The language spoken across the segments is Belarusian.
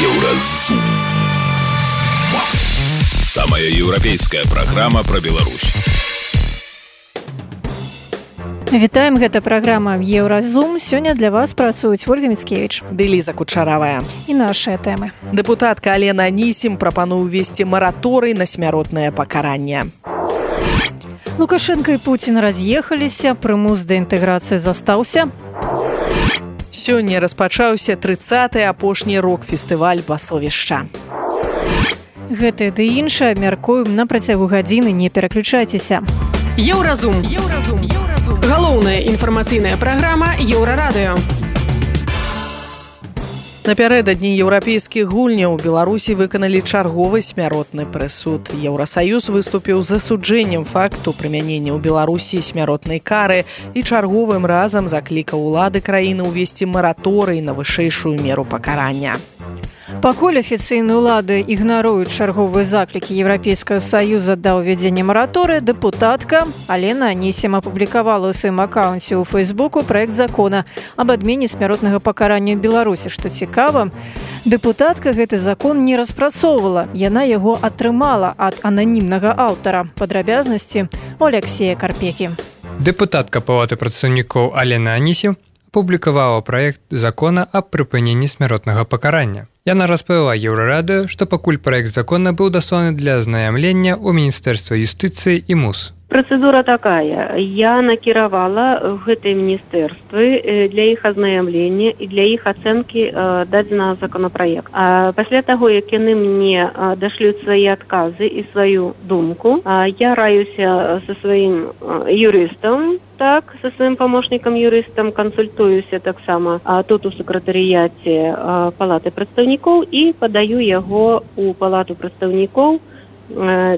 Еўразум. Самая еўрапейская праграма пра Беларусь. Вітаем, гэта праграма «Еўразум». Сёння для вас працуюць Ольга Міцкевіч ды Ліза Кучаравая. І нашыя тэмы. Дэпутатка Алена Анісім прапануе ўвесці мараторый на смяротнае пакаранне. Лукашенко і Пуцін раз'ехаліся, прымус да інтэграцыі застаўся. Сёння распачаўся 30-й апошні рок-фестываль «Басовішча». Гэтае ды іншае абмяркуем на працягу гадзіны, не пераключайцеся. Еўразум. Галоўная інфармацыйная праграма Еўрарадыё. Напярэдадні еўрапейскіх гульняў у Беларусі выканалі чарговы смяротны прысуд. Еўрасаюз выступіў з засуджэннем факту прымянення ў Беларусі смяротнай кары і чарговым разам заклікаў улады краіны ўвесці мараторый на вышэйшую меру пакарання. Пакуль афіцыйныя ўлады ігнаруюць чарговыя заклікі Еўрапейскага саюза да ўвядзення мараторыя, дэпутатка Алена Анісім апублікавала ў сваім акаунце ў Фейсбуку праект закона аб адмене смяротнага пакарання ў Беларусі. Што цікава, дэпутатка гэты закон не распрацоўвала, яна яго атрымала ад ананімнага аўтара. Падрабязнасці у Алексея Карпекі. Дэпутатка Палаты прадстаўнікоў Алена Анісім апублікавала праект закона аб прыпыненні смяротнага пакарання. Яна распавяла Еўрарадыё, што пакуль праект закона быў дасланы для азнаямлення ў Міністэрства юстыцыі і МУС. Процедура такая. Я накіравала гэтыя міністэрствы для іх азнаямлення і для іх ацэнкі дадзенага законапраекта. Пасля таго, як яны мне дашлюць свае адказы і сваю думку, я раюся са сваім юрыстам, со сваім памочнікам юрыстам, кансультуюся таксама тут у сакратарыяце Палаты прадстаўнікоў і падаю яго ў Палату прадстаўнікоў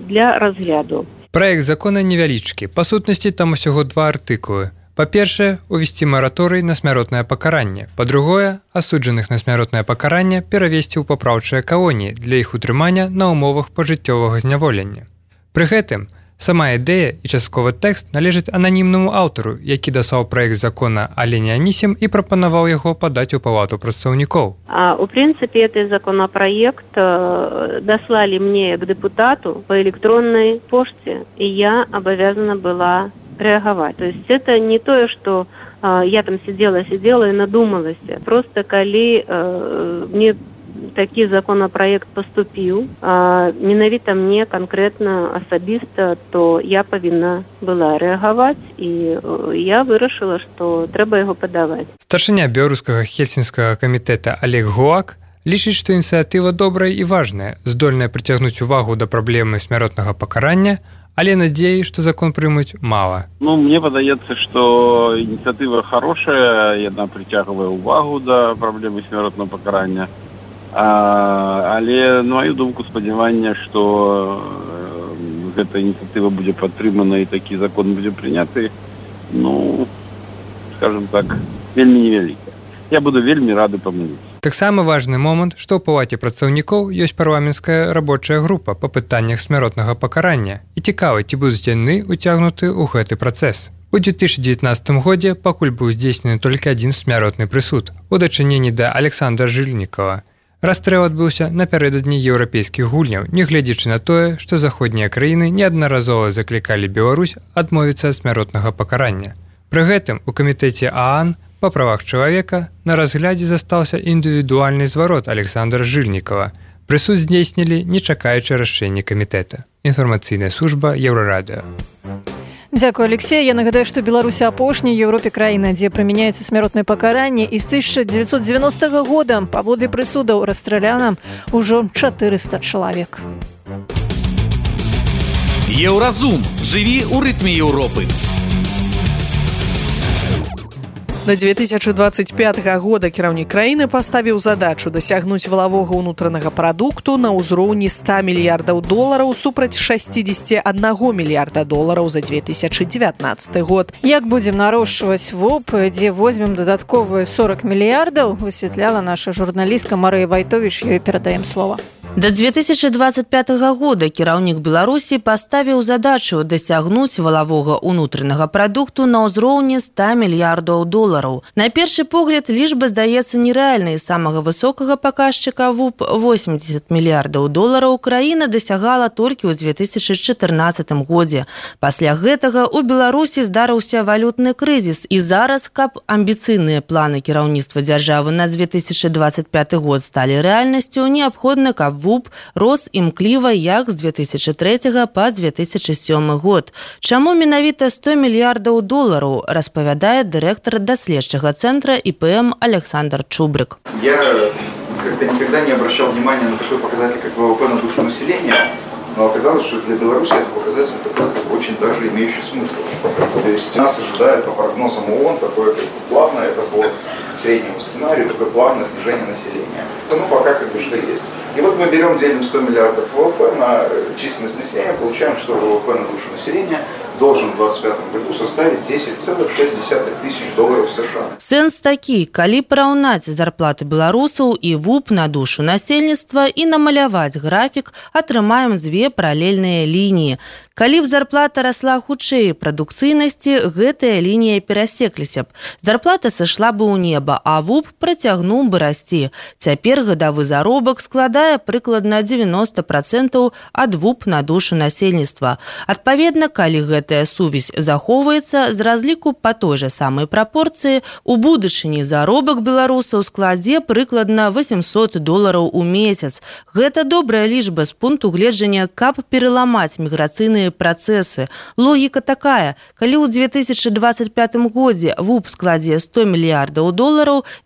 для разгляду. Праект закона невялічкі. Па сутнасці, там усяго 2 артыкулы. Па-першае, увесці мараторый на смяротнае пакаранне. Па-другое, асуджаных на смяротнае пакаранне перавесці ў папраўчыя калоніі для іх утрымання на ўмовах пажыццёвага зняволення. Пры гэтым, сама ідэя і частковы тэкст належаць ананімнаму аўтару, які даслаў праект закона Алене Анісім і прапанаваў яго падаць у Палату прадстаўнікоў. У прынцыпе, этот законопроект дослали мне к депутату по электронной почте, и я обязана была реагировать. То есть это не то, что я там сидела и надумалась. Просто коли мне такі законопроект поступіў, менавіта мне конкретно асабіста, то я павінна была рэагаваць, і я вырашыла, што трэба яго падаваць. Старшыня беларускага хельсінскага камітэта Олег Гулак лічыць, што ініцыятыва добрая і важная, здольная прыцягнуць увагу да праблемы смяротнага пакарання, але надзеі, што закон прымуць, мала. Мне падаецца, што ініцыятыва хорошая, яна прыцягвае увагу да праблемы смяротнага пакарання. Але, на маю думку, спадзяванне, што гэта ініцыятыва будзе падтрымана і такі закон будзе прыняты, скажем так, вельмі невялікая. Я буду вельмі рады памыліцца. Таксама важны момант, што ў Палаце прадстаўнікоў ёсць парламенцкая рабочая група па пытаннях смяротнага пакарання. І цікава, ці будуць яны уцягнуты ў гэты працэс. У 2019 годзе пакуль быў здзейснены толькі адзін смяротны прысуд у дачыненні да Александра Жильнікова. Расстрэл адбыўся напярэдадні еўрапейскіх гульняў, нягледзячы на тое, што заходнія краіны неаднаразова заклікалі Беларусь адмовіцца ад смяротнага пакарання. Пры гэтым у камітэце ААН па правах чалавека на разглядзе застаўся індывідуальны зварот Александра Жильнікова. Прысуд здзейснілі, не чакаючы рашэння камітэта. Інфармацыйная служба Еўрарадыё. Дзякую, Алексей. Я нагадаю, што Беларусь апошняя ў Еўропе краіна, дзе прымяняецца смяротнае пакаранне, і з 1990 года паводле прысудаў расстраляна ўжо 400 чалавек. Еўразум. Жыві ў рытме Еўропы. Да 2025 года кіраўнік краіны паставіў задачу дасягнуць валавога ўнутранага прадукту на ўзроўні $100 мільярдаў супраць $61 мільярда за 2019 год. Як будзем нарошчваць ВОП, дзе возьмем дадатковыя 40 мільярдаў, высвятляла наша журналістка Марыя Вайтовіч, ёй перадаем слова. До 2025 года кіраўнік Беларусі паставіў задачу дасягнуць валавога ўнутранага прадукту на ўзроўні $100 мільярдаў. На першы погляд лічба здаецца нерэальнай. Самага высокага паказчыка ВУП $80 мільярдаў краіна дасягала толькі ў 2014 годзе. Пасля гэтага у Беларусі здарыўся валютны крызіс, і зараз, каб амбіцыйныя планы кіраўніцтва дзяржавы на 2025 год сталі рэальнасцю, неабходна, каб ВУП рос імкліва як з 2003 па 2007 год. Чаму менавіта $100 мільярдаў, распавядае дырэктар даследчага цэнтра ИПМ Александр Чубрик. Я как-то никогда не обращал внимания на такой показатель, как ВВП на душу населения, но оказалось, что для Беларуси это показатель такой, очень даже имеющий смысл. То есть нас ожидает по прогнозам ООН такое плавное, это по среднему сценарию, такое плавное снижение населения. Ну, пока как бы что есть. И вот мы берем, делим 100 миллиардов ВВП на численность населения, получаем, что ВВП на душу населения должен в 2025 году составить $10,6 тысяч США. Сэнс такі, калі параўнаць зарплаты беларусаў і ВУП на душу насельніцтва і намаляваць графік, атрымаем дзве паралельныя лініі. Калі б зарплата расла хутчэй прадукцыйнасці, гэтая лінія перасекліся б. Зарплата сышла бы ў неба, а ВУП працягнуў бы расці. Цяпер гадавы заробак складае прыкладна 90% ад ВУП на душу насельніцтва. Адпаведна, калі гэтая сувязь захоўваецца, з разліку па той жа самай прапорцыі, у будучыні заробак беларусаў складзе прыкладна $800 у месяц. Гэта добрая лічба з пункту гледжання, каб пераламаць міграцыйныя працэсы. Логіка такая, калі ў 2025 годзе ВУП складзе $100 мільярдаў,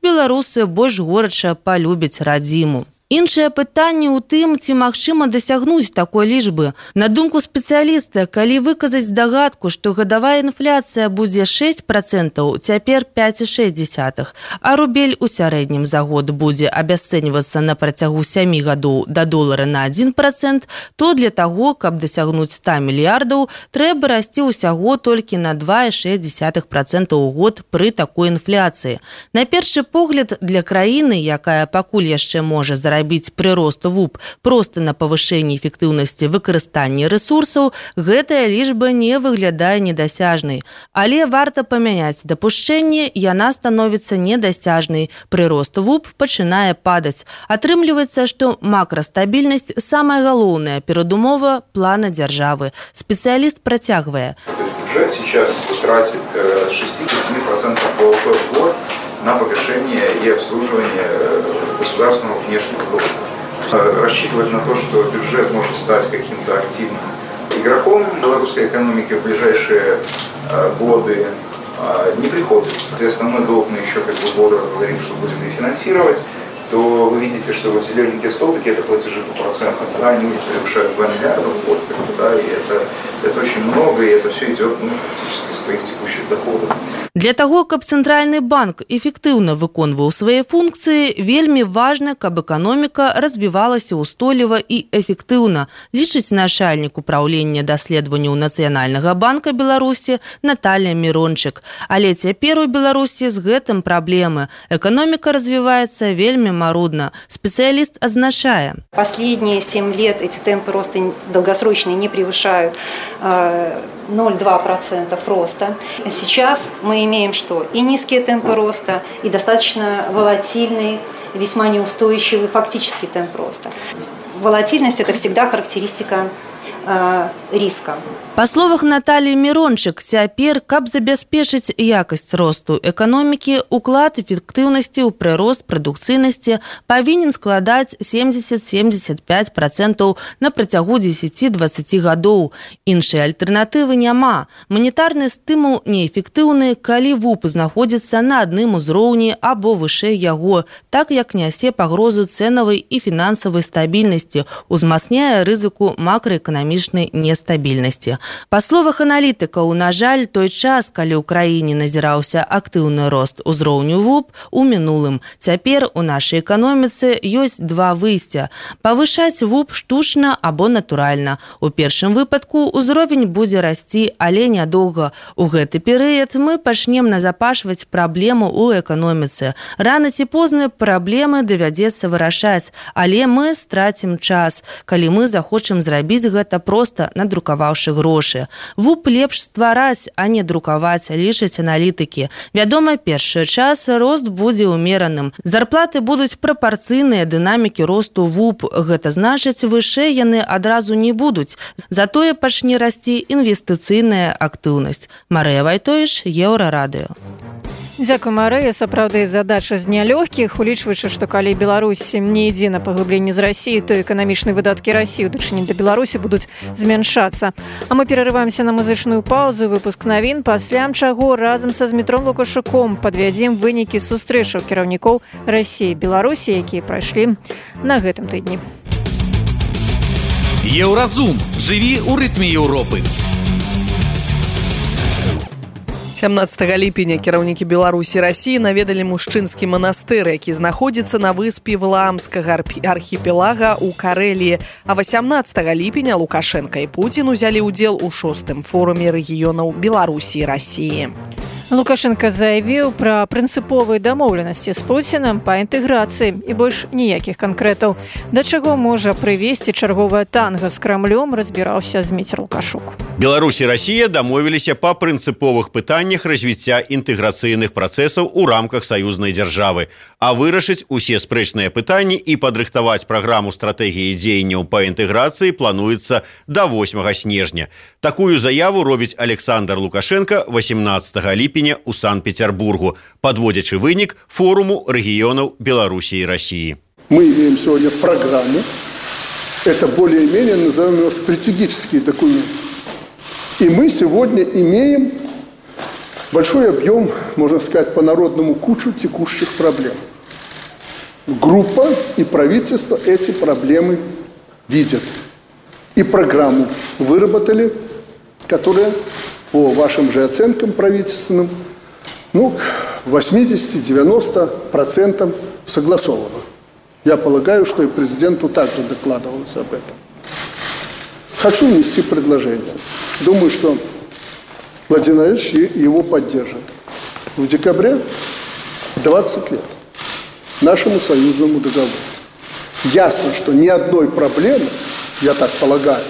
беларусы больш горача палюбяць радзіму. Іншае пытанне ў тым, ці магчыма дасягнуць такой лічбы. На думку спецыяліста, калі выказаць здагадку, што гадавая інфляцыя будзе 6%, цяпер 5,6%, а рубель у сярэднім за год будзе абясцэньвацца на працягу 7 гадоў да долара на 1%, то для таго, каб дасягнуць 100 мільярдаў, трэба расці ўсяго толькі на 2,6% у год пры такой інфляцыі. На першы погляд, для краіны, якая пакуль яшчэ можа зарабіць прырост ВУП проста на павышэнні эфектыўнасці выкарыстання рэсурсаў, гэтая лічба не выглядае недасяжнай. Але варта памяняць дапушчэнне, яна становіцца недасяжнай. Прырост ВУП пачынае падаць. Атрымліваецца, што макрастабільнасць – самая галоўная перадумова плана дзяржавы. Спецыяліст працягвае. Бюджет сейчас тратит 6-7% ВВП в год на погашение и обслуживание государственного внешнего долга. Рассчитывать на то, что бюджет может стать каким-то активным игроком белорусской экономики в ближайшие годы не приходится. Если основной долг мы еще бодро говорим, что будем рефинансировать, то вы видите, что вот зелененькие столбики – это платежи по процентам, да, они уже превышают 2 миллиарда в год, да, и это очень много, и это все идет фактически из своих текущих доходов. Для таго, каб Цэнтральны банк эфектыўна выконваў свае функцыі, вельмі важна, каб эканоміка развівалася ўстойліва і эфектыўна, лічыць начальнік управлення даследаванняў Нацыянальнага банка Беларусі Наталья Мирончик. Але цяпер у Беларусі з гэтым праблемы. Эканоміка развіваецца вельмі марудна. Специалист означает. Последние 7 лет эти темпы роста долгосрочные не превышают 0,2% роста. Сейчас мы имеем что? И низкие темпы роста, и достаточно волатильный, весьма неустойчивый фактический темп роста. Волатильность – это всегда характеристика риска. Па словах Натальи Мирончик, цяпер, каб забяспечыць якасць росту эканомікі, уклад эфектыўнасці ў прырост прадукцыйнасці павінен складаць 70-75% на працягу 10-20 гадоў. Іншай альтэрнатывы няма. Манетарны стымул неэфектыўны, калі ВУП знаходзіцца на адным узроўні або вышэй яго, так як нясе пагрозу цэнавай і фінансавай стабільнасці, узмацняе рызыку макраэканамічнай нестабільнасці. Па словах аналітыкаў, на жаль, той час, калі ў краіне назіраўся актыўны рост узроўню ВУП, у мінулым. Цяпер у нашай эканоміцы ёсць два выйсця – павышаць ВУП штучна або натуральна. У першым выпадку ўзровень будзе расці, але нядоўга. У гэты перыяд мы пачнем назапашваць праблему ў эканоміцы. Рана ці позна праблемы давядзецца вырашаць, але мы страцім час, калі мы захочам зрабіць гэта проста надрукаваўшы грошы. ВУП лепш ствараць, а не друкаваць, лічаць аналітыкі. Вядома, першы час рост будзе ўмераным. Зарплаты будуць прапарцыйныя дынамікі росту ВУП. Гэта значыць, вышэй яны адразу не будуць. Затое пачне расці інвестыцыйная актыўнасць. Марыя Вайтовіч, Еўрарадыё. Дзякуй, Марыя. Сапраўды, задача з нялёгкіх, улічваючы, што калі Беларусь не ідзе на паглыбленне з Расіі, то эканамічныя выдаткі Расіі ў дачыненні да Беларусі будуць змяншацца. А мы перарываемся на музычную паузу, выпуск навін, пасля чаго разам са Змітром Лукашуком падвядзем вынікі сустрэчаў кіраўнікоў Расіі і Беларусі, якія прайшлі на гэтым тыдні. Еўразум. Жыві ў рытме Еўропы. 17 ліпеня кіраўнікі Беларусі і Расіі наведалі мужчынскі манастыр, які знаходзіцца на выспе Валаамскага архіпелага ў Карэліі. А 18 ліпеня Лукашенка і Пуцін узялі ўдзел у 6-м форуме рэгіёнаў Беларусі і Расіі. Лукашенко заявіў пра прынцыповыя дамоўленасці з Пуцінам па інтэграцыі і больш ніякіх канкрэтаў. Да чаго можа прывесці чарговая танга з Крамлём, разбіраўся Зміцер Лукашук. Беларусь і Расія дамовіліся па прынцыповых пытаннях развіцця інтэграцыйных працэсаў у рамках саюзнай дзяржавы, а вырашыць усе спрэчныя пытанні і падрыхтаваць праграму стратэгіі дзеянняў па інтэграцыі плануецца да 8 снежня. Такую заяву робіць Александр Лукашенко 18 ліпеня у Санкт-Петербургу, подводячи вынік форуму регионов Беларуси и России. Мы имеем сегодня программу. Это более-менее, назовем его, стратегический документ. И мы сегодня имеем большой объем, можно сказать, по-народному кучу текущих проблем. Группа и правительство эти проблемы видят. И программу выработали, которая по вашим же оценкам правительственным, 80-90% согласовано. Я полагаю, что и президенту также докладывалось об этом. Хочу внести предложение. Думаю, что Владимир Владимирович его поддержит. В декабре 20 лет нашему союзному договору. Ясно, что ни одной проблемы, я так полагаю,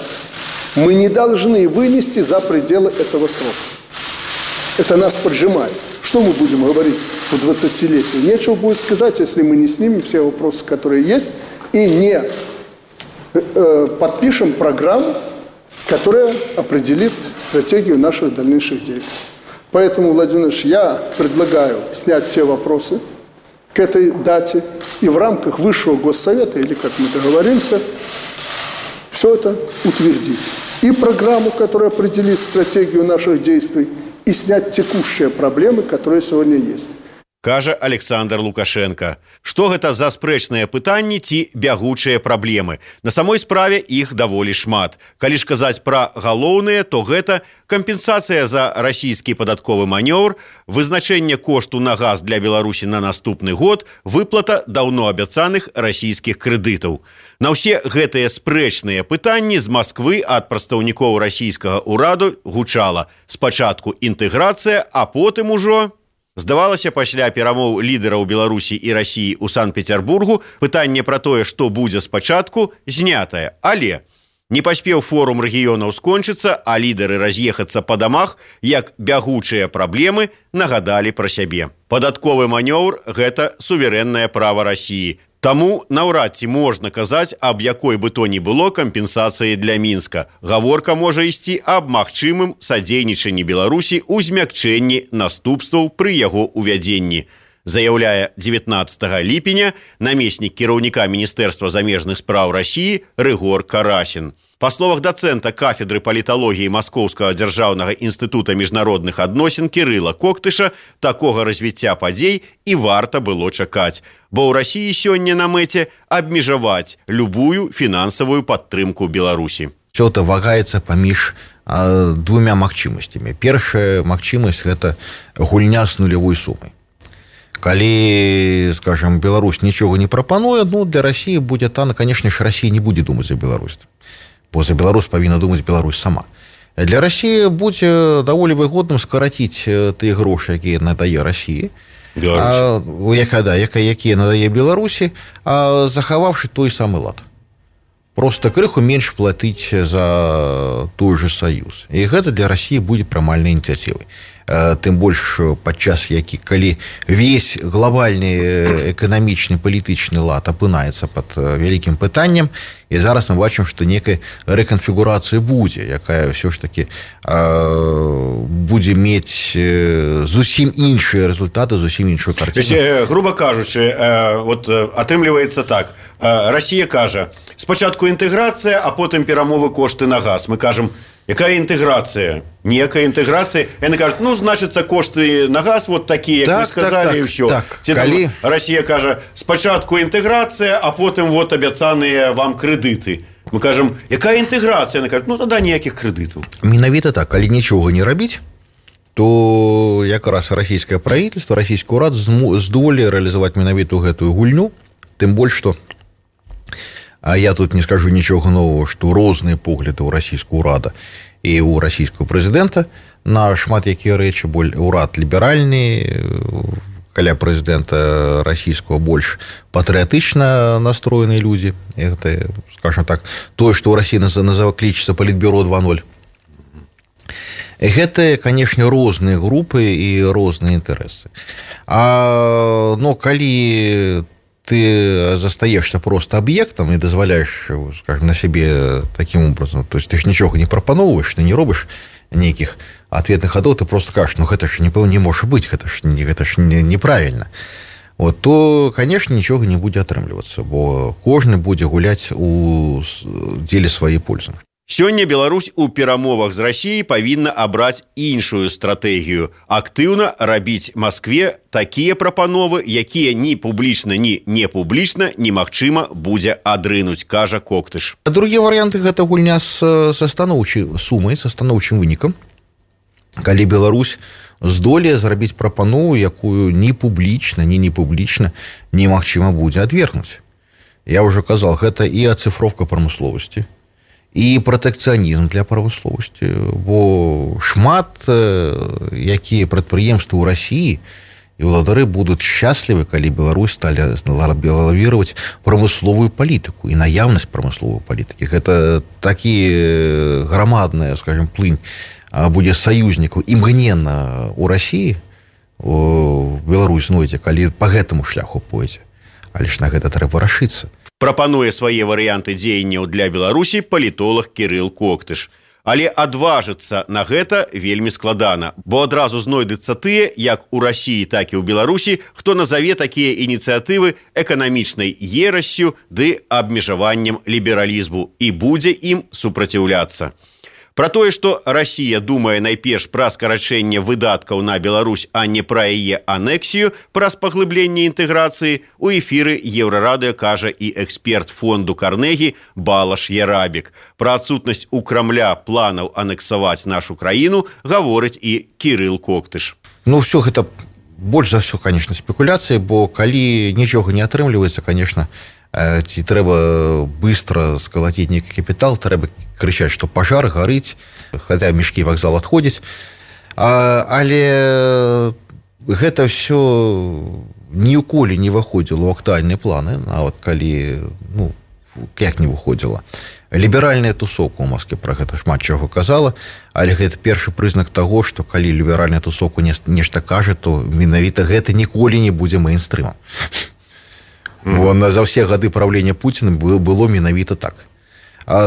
мы не должны вынести за пределы этого срока. Это нас поджимает. Что мы будем говорить в 20-летие? Нечего будет сказать, если мы не снимем все вопросы, которые есть, и не подпишем программу, которая определит стратегию наших дальнейших действий. Поэтому, Владимир Ильич, я предлагаю снять все вопросы к этой дате и в рамках Высшего Госсовета, или как мы договоримся, все это утвердить. И программу, которая определит стратегию наших действий, и снять текущие проблемы, которые сегодня есть. Кажа Александр Лукашенко. Што гэта за спрэчныя пытанні ці бягучыя праблемы? На самой справе іх даволі шмат. Калі ж казаць пра галоўныя, то гэта кампенсацыя за расійскі падатковы манёвр, вызначэнне кошту на газ для Беларусі на наступны год, выплата даўно абяцаных расійскіх крэдытаў. На ўсе гэтыя спрэчныя пытанні з Масквы ад прадстаўнікоў расійскага ўраду гучала спачатку інтэграцыя, а потым ужо... Здавалася, пасля перамоў лідараў Беларусі і Расіі ў Санкт-Петербургу пытанне пра тое, што будзе спачатку, знятае. Але не паспеў форум рэгіёнаў скончыцца, а лідары раз'ехацца па дамах, як бягучыя праблемы нагадалі пра сябе. Падатковы манёвр – гэта суверэннае права Расіі. Таму наўрад ці можна казаць аб якой бы то ні было кампенсацыі для Мінска. Гаворка можа ісці аб магчымым садзейнічанні Беларусі ў змякчэнні наступстваў пры яго увядзенні. Заяўляе 19 ліпеня намеснік кіраўніка Міністэрства замежных спраў Расіі Рыгор Карасін. Па словах дацэнта кафедры паліталогіі Маскоўскага дзяржаўнага інстытута міжнародных адносін Кірыла Коктыша, такога развіцця падзей і варта было чакаць, бо ў Расіі сёння на мэце абмежаваць любую фінансавую падтрымку Беларусі. Все это вагаецца паміж двумя магчымасцямі. Першая магчымасць – гэта гульня з нулявой сумай. Калі, скажем, Беларусь нічога не прапануе, для России будзе танна, конечно ж, Россия не будзе думаць за Беларусь. Бо за Беларусь павінна думаць Беларусь сама. Для России будзе даволі выгодным скараціць тыя грошы, якія надае России, якія надае Беларусі, захаваўшы той самы лад. Просто крыху менш платыць за той же Союз. І гэта для России будзе прымальнай ініцыятывай. Тым больш падчас калі весь глобальны эканамічны палітычны лад апынаецца пад вялікім пытаннем, і зараз мы бачым, што некая рэканфігурацыя будзе, якая ўсё ж такі будзе мець зусім іншыя рэзультаты, зусім іншую карціну. Грубо кажучы, атрымліваецца так. Россия кажа, спачатку інтэграцыя, а потым перамовы кошты на газ. Мы кажам, якая інтэграцыя? Ніякая інтэграцыя. Яны кажуць, значыцца, кошты на газ вот такія, як вы сказалі, і ўсё. Россия кажа, спачатку інтэграцыя, а потым вот абяцаныя вам крэдыты. Мы кажам, якая інтэграцыя? Яны кажуць, тада ніякіх крэдытаў. Менавіта так, калі нічога не рабіць, то якраз расійскае правительство, расійскі ўрад здолее рэалізаваць менавіту гэтую гульню, тым больш, што я тут не скажу нічога нового, што розныя погляды ў расійскага ўрада і ў расійскага прэзідэнта на шмат якія рэчы. Урад ліберальны, каля прэзідэнта расійскага больш патрыятычна настроеныя людзі. Гэта, скажем так, тое, што ў Расіі клічыцца Палітбюро 2.0. Гэта, канешне, розныя групы і розныя інтарэсы. Калі ты застаешься просто объектом и дозволяешь, скажем, на себе таким образом, то есть ты же ничего не пропановываешь, ты не робишь неких ответных ходов, ты просто скажешь, это же не может быть, это же неправильно. То, конечно, ничего не будет атрымлівацца, бо кожны будзе гуляць у деле сваёй пользы. Сёння Беларусь у перамовах з Расіяй павінна абраць іншую стратэгію. Актыўна рабіць Маскве такія прапановы, якія ні публічна, ні не публічна немагчыма будзе адрынуць, кажа Коктыш. Другія варыянты – гэта гульня са станоўчай сумай, са станоўчым вынікам. Калі Беларусь здолее зрабіць прапанову, якую ні публічна, ні не публічна немагчыма будзе адвергнуць. Я ўжо казал, гэта і ацыфроўка прамысловасці, і пратэкцыянізм для прамысловасці, бо шмат якія прадпрыемствы ў Расіі і ўладары будуць шчаслівы, калі Беларусь сталі лавіраваць прамысловую палітыку і наяўнасць прамысловай палітыкі. Гэта такі грамадная, скажем, плынь будзе саюзнікаў імгненна ў Расіі, Беларусь знойдзе, калі па гэтаму шляху пойдзе. Але ж на гэта трэба рашыцца. Прапануе свае варыянты дзеянняў для Беларусі палітолог Кірыл Коктыш. Але адважыцца на гэта вельмі складана, бо адразу знойдуцца тыя, як у Расіі, так і ў Беларусі, хто назаве такія ініцыятывы эканамічнай ерассю ды абмежаваннем лібералізму і будзе ім супраціўляцца. Пра тое, што Расія думае найперш пра скарачэнне выдаткаў на Беларусь, а не пра яе анексію, праз паглыбленне інтэграцыі, у эфіры Еўрарадыё кажа і эксперт фонду Карнегі Балаш Ярабік. Пра адсутнасць у Крамля планаў анексаваць нашу краіну гаворыць і Кірыл Коктыш. Все гэта больш за ўсё, конечно, спекуляцыі, бо калі нічога не атрымліваецца, конечно, ці трэба быстро скалаціць нейкі капітал, трэба крычаць, што пажар гарыць, хаця мешкі вакзал адходзіць. Але гэта ўсё ніколі не выходзіла ў актуальныя планы, нават калі, як не выходзіла. Ліберальная тусовка ў Москве пра гэта шмат чаго казала, але гэта першы прызнак таго, што калі ліберальная тусовка нешта кажа, то менавіта гэта ніколі не будзе мэйнстрымам. За ўсе гады правлення Пуціна было менавіта так.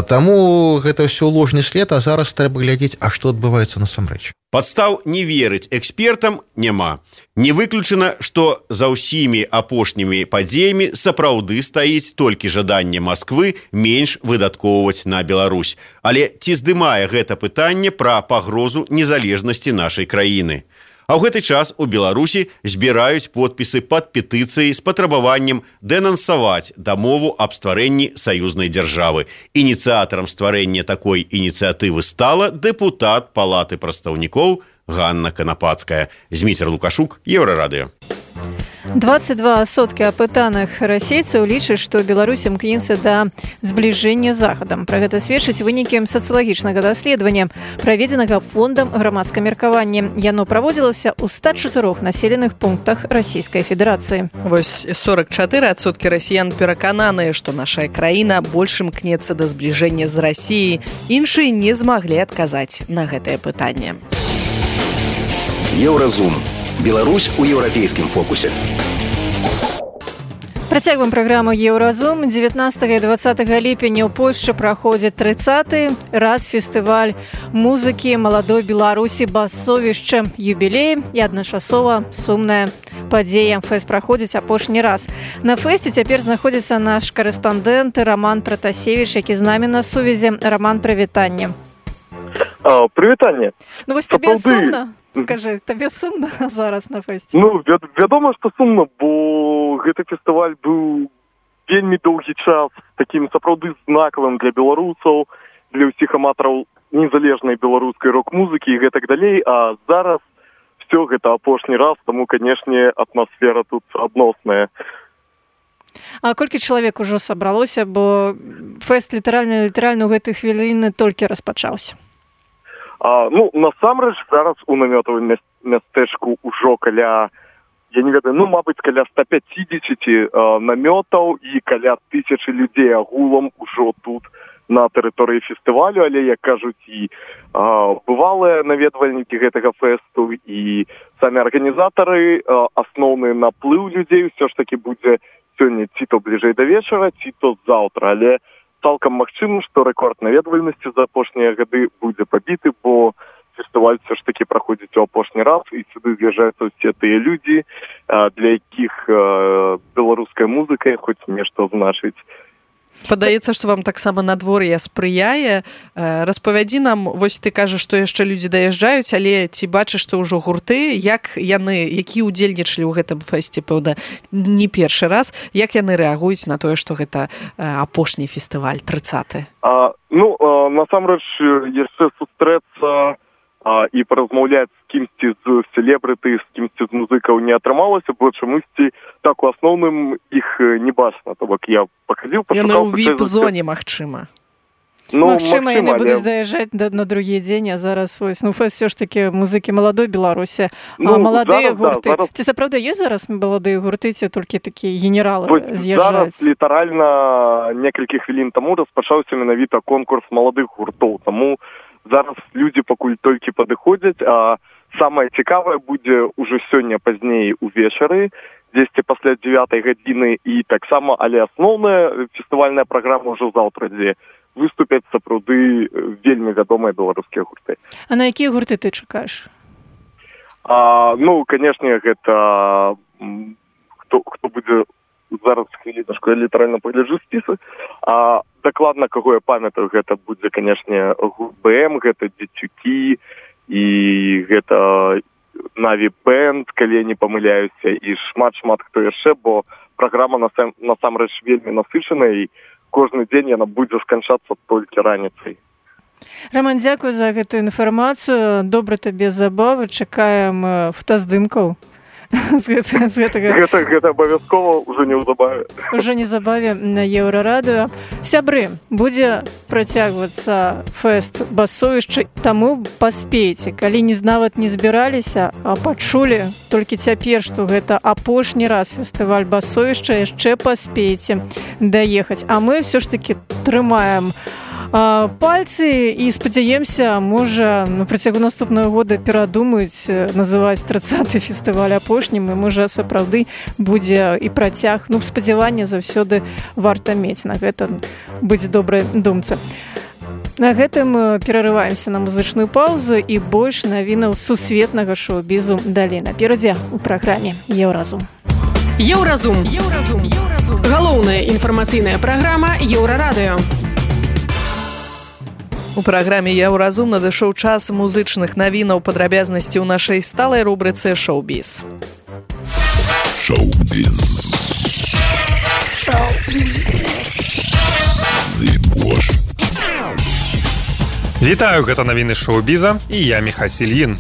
Таму гэта ўсё ложны след, а зараз трэба глядзець, а што адбываецца насамрэч. Падстаў не верыць экспертам няма. Не выключана, што за ўсімі апошнімі падзеямі сапраўды стаіць толькі жаданне Масквы менш выдаткоўваць на Беларусь. Але ці здымае гэта пытанне пра пагрозу незалежнасці нашай краіны? А ў гэты час у Беларусі збіраюць подпісы пад петыцыяй з патрабаваннем дэнансаваць дамову аб стварэнні саюзнай дзяржавы. Ініцыятарам стварэння такой ініцыятывы стала дэпутат Палаты прадстаўнікоў Ганна Канапацкая. Зміцер Лукашук, Еўрарадыё. 22% апытаных расейцаў лічаць, што Беларусь імкнецца да збліжэння з Захадам. Пра гэта сведчаць вынікі сацыялагічнага даследавання, праведзенага фондам грамадскага меркавання. Яно праводзілася ў 104 населеных пунктах Расійскай Федэрацыі. Вось 44% расіян перакананыя, што наша краіна больш імкнецца да збліжэння з Расіяй. Іншыя не змаглі адказаць на гэтае пытанне. Еўразум. Беларусь у еўрапейскім фокусе. Працягваем праграму «Еўразум». 19 і 20 ліпеня ў Польшчы праходзіць 30-й раз фестываль музыкі маладой Беларусі «Басовішча». Юбілей і адначасова сумная падзея. Фэст праходзіць апошні раз. На фэсце цяпер знаходзіцца наш карэспандэнт Роман Пратасевіч, які з намі на сувязі. Роман, прывітанне. Прывітанне. Ну вось табе сумна? Скажи, табе сумна зараз на фэсце? Ну, вядома, што сумна, бо гэты фестываль быў вельмі доўгі час такім сапраўды знакавым для беларусаў, для ўсіх аматараў незалежнай беларускай рок-музыкі і гэтак далей, а зараз все гэта апошні раз, таму, канешне, атмасфера тут адносная. А колькі чалавек ужо сабралося, бо фэст літаральна ў гэты хвіліны толькі распачаўся? Ну, насамрэч, зараз у намётавым мястэчку ўжо каля, я не ведаю, мабыць, каля 150 намётаў і каля 1000 людзей агулам ужо тут на тэрыторыі фестывалю, але, як кажуць, і бывалыя наведвальнікі гэтага фэсту, і самі арганізатары, асноўны наплыў людзей ўсё ж такі будзе сёння ці то бліжэй да вечара, ці то заўтра, але цалкам магчыма, што рэкорд наведвальнасці за апошнія гады будзе пабіты, бо фестываль все ж таки праходзіць у апошні раз, і сюды з'язджаюцца ўсе тыя людзі, для якіх беларуская музыка хоць нешта значыць. Падаецца, што вам таксама надвор'е спрыяе. Распавядзі нам, вось ты кажаш, што яшчэ людзі даязджаюць, але ці бачыш, што ўжо гурты, як яны, які ўдзельнічалі ў гэтым фэсце, пэўна, не першы раз, як яны рэагуюць на тое, што гэта апошні фестываль, 30-й? Насамрэч, яшчэ сустрэцца і паразмаўляць з кімсьці з селебрыты, з кімсьці з музыкаў не атрымалася, бо чамусьці так у асноўным іх не бачна. То бок я пахадзіў, пашукаў... Яны ў віп-зоне, магчыма. Магчыма, яны будуць даязджаць на другі дзень, а зараз фэст все ж таки музыкі маладой Беларусі. Маладыя гурты. Ці сапраўды ёсць зараз маладыя гурты, ці толькі такія генералы з'язджаюць? Зараз літаральна некалькі хвілін таму распачаўся менавіта конкурс маладых гуртоў, таму зараз людзі пакуль толькі падыходзяць, а самае цікавае будзе ўжо сёння пазней увечары, дзесьці пасля 9 гадзіны, і таксама, але асноўная фестывальная праграма ўжо заўтра, дзе выступяць сапраўды вельмі вядомыя беларускія гурты. А на якія гурты ты чакаеш? Канешне, гэта хто будзе зараз хвілінашку, я літаральна пагляджу спісы. Дакладна, каго я памятаю, гэта будзе, канешне, гурт БМ, гэта Дзецюкі, і гэта Наві Бэнд, калі я не памыляюся, і шмат хто яшчэ, бо праграма насамрэч вельмі насычаная, і кожны дзень яна будзе сканчацца толькі раніцай. Роман, дзякуй за гэтую інфармацыю. Добра табе забавы. Чакаем фотаздымкаў. Гэта абавязкова ўжо неўзабаве. Ужо незабаве на Еўрарадыё. Сябры, будзе працягвацца фэст «Басовішча», таму паспейце. Калі нават не збіраліся, а пачулі толькі цяпер, што гэта апошні раз фестываль «Басовішча», яшчэ паспейце даехаць. А мы ўсё ж такі трымаем пальцы і спадзяемся, можа, на працягу наступнага года перадумаюць называць 30-й фестываль апошнім, і можа сапраўды будзе і працяг. Спадзяванне заўсёды варта мець, на гэта быць добрай думцы. На гэтым перарываемся на музычную паўзу і больш навінаў сусветнага шоу-бізу далей наперадзе ў праграме «Еўразум». Еўразум. Галоўная інфармацыйная праграма Еўрарадыё. У праграме «Еўразум» надышоў час музычных навінаў, падрабязнасці ў нашай сталай рубрыцы «Шоу-біз». Шоу-біз. Вітаю, гэта навіны шоу-біза і я Міхасіль Ін.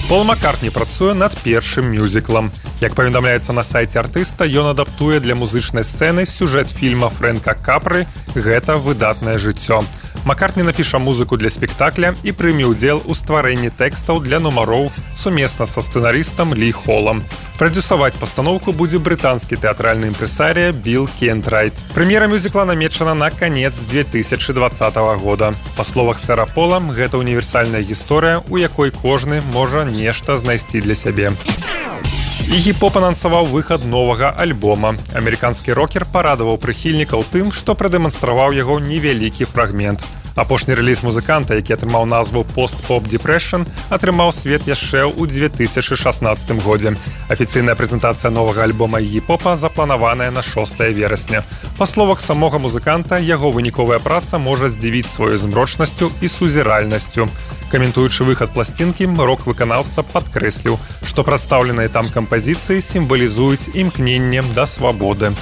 Пол Маккартні працуе над першым мюзіклам. Як паведамляецца на сайце артыста, ён адаптуе для музычнай сцэны сюжэт фільма Фрэнка Капры «Гэта выдатнае жыццё». Маккартні напіша музыку для спектакля і прыме ўдзел у стварэнні тэкстаў для нумароў сумесна са сцэнарыстам Лі Холлам. Прадзюсаваць пастаноўку будзе брытанскі тэатральны імпрэсарыя Білл Кентрайт. Прэм'ера мюзікла намечана на канец 2020 года. Па словах сэра Пола, гэта універсальная гісторыя, у якой кожны можа нешта знайсці для сябе. Іггі-поп анансаваў выхад новага альбома. Амерыканскі рокер парадаваў прыхільнікаў тым, што прадэманстраваў яго невялікі фрагмент. Апошні рэліз музыканта, які атрымаў назву «Пост-поп Depression», атрымаў свет яшчэ ў 2016 годзе. Афіцыйная прэзентацыя новага альбома Іггі-попа запланаваная на 6 верасня. Па словах самога музыканта, яго выніковая праца можа здзівіць сваёй змрочнасцю і сузіральнасцю. Каментуючы выхад пласцінкі, рок-выканаўца падкрэсліў, што прадстаўленыя там кампазіцыі сімвалізуюць імкненне да свабоды.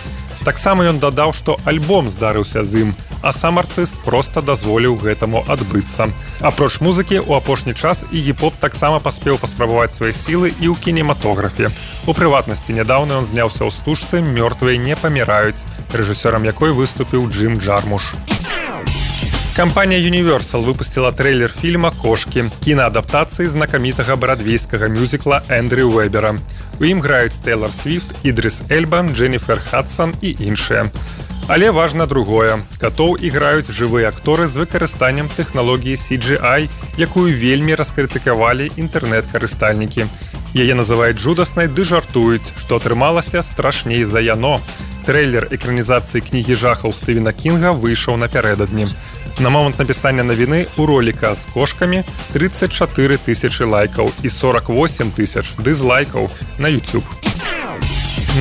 Таксама ён дадаў, што альбом здарыўся з ім, а сам артыст проста дазволіў гэтаму адбыцца. Апроч музыкі, у апошні час Іггі-поп таксама паспеў паспрабаваць свае сілы і ў кінематографе. У прыватнасці, нядаўна ён зняўся ў стужцы «Мёртвыя не паміраюць», рэжысёрам якой выступіў Джим Джармуш. Кампанія Universal выпусціла трэйлер фільма «Кошкі», кінаадаптацыі знакамітага брадвейскага мюзікла Эндрю Уэбера. У ім граюць Тэйлор Свіфт, Ідрыс Эльба, Дженніфер Хадсон і іншыя. Але важна другое. Катоў іграюць жывыя акторы з выкарыстаннем тэхналогіі CGI, якую вельмі раскрытыкавалі інтэрнэт-карыстальнікі. Яе называюць жудаснай ды жартуюць, што атрымалася страшней за яно. Трэйлер экранізацыі кнігі жахаў Стывена Кінга выйшаў напярэдадні. На момант напісання навіны ў роліка з кошкамі 34 тысячы лайкаў і 48 тысяч дызлайкаў на YouTube.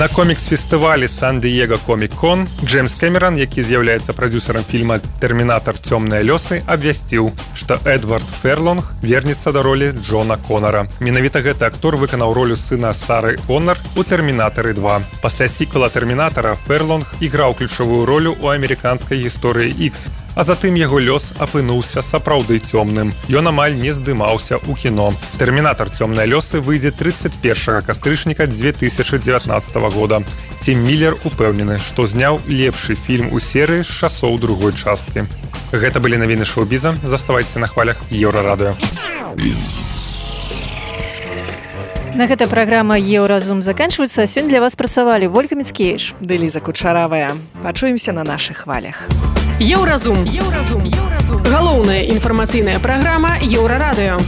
На комікс-фестывалі Сан-Діего Комік-Кон Джеймс Кэмеран, які з'яўляецца прадзюсарам фільма «Тэрмінатар. Цёмныя лёсы», абвясціў, што Эдвард Ферлонг вернецца да ролі Джона Конара. Менавіта гэты актор выканаў ролю сына Сары Коннар у «Тэрмінатары 2». Пасля сіквела «Тэрмінатара» Ферлонг іграў ключавую ролю ў амерыканскай гісторыі X, а затым яго лёс апынуўся сапраўды цёмным. Ён амаль не здымаўся ў кіно. «Тэрмінатар. Цёмныя лёсы» выйдзе 31 кастрычніка 2019 года. Тім Міллер упэўнены, што зняў лепшы фільм у серыі з часоў другой часткі. Гэта былі навіны шоу-біза. Заставайцеся на хвалях Еўрарадыё. На гэта праграма «Еўразум» заканчваецца. Сёння для вас працавалі Вольга Міцкевіч ды Ліза Кучаравая. Пачуемся на нашых хвалях. Еўразум. Галоўная інфармацыйная праграма Еўрарадыё.